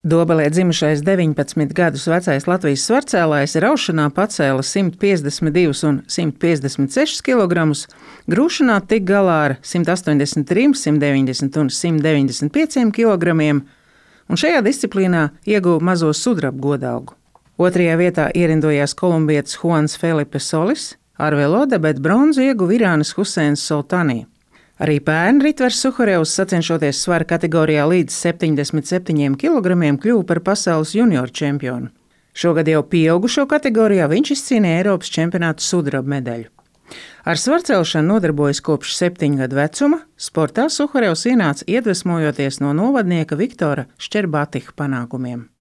Dobelē dzimušais 19 gadus vecais Latvijas svarcēlājs raušanā pacēla 152 un 156 kg, grūšanā tika galā ar 183, 190 un 195 kg, un šajā disciplīnā ieguva mazo sudraba godalgu. Otrajā vietā ierindojās kolumbietis Juans Felipe Solis, ar velodebeti bronzu ieguva Irānas Huseins Soltanī. Arī pērn Ritvers Suhorevs, sacenšoties svara kategorijā līdz 77 kg, kļuva par pasaules junioru čempionu. Šogad jau pieaugušo kategorijā viņš izcīnīja Eiropas čempionāta sudraba medaļu. Ar svarcelšanu nodarbojas kopš 7 gadu vecuma. Sportā Suhorevs ienāca iedvesmojoties no novadnieka Viktora Šķerbatiha panākumiem.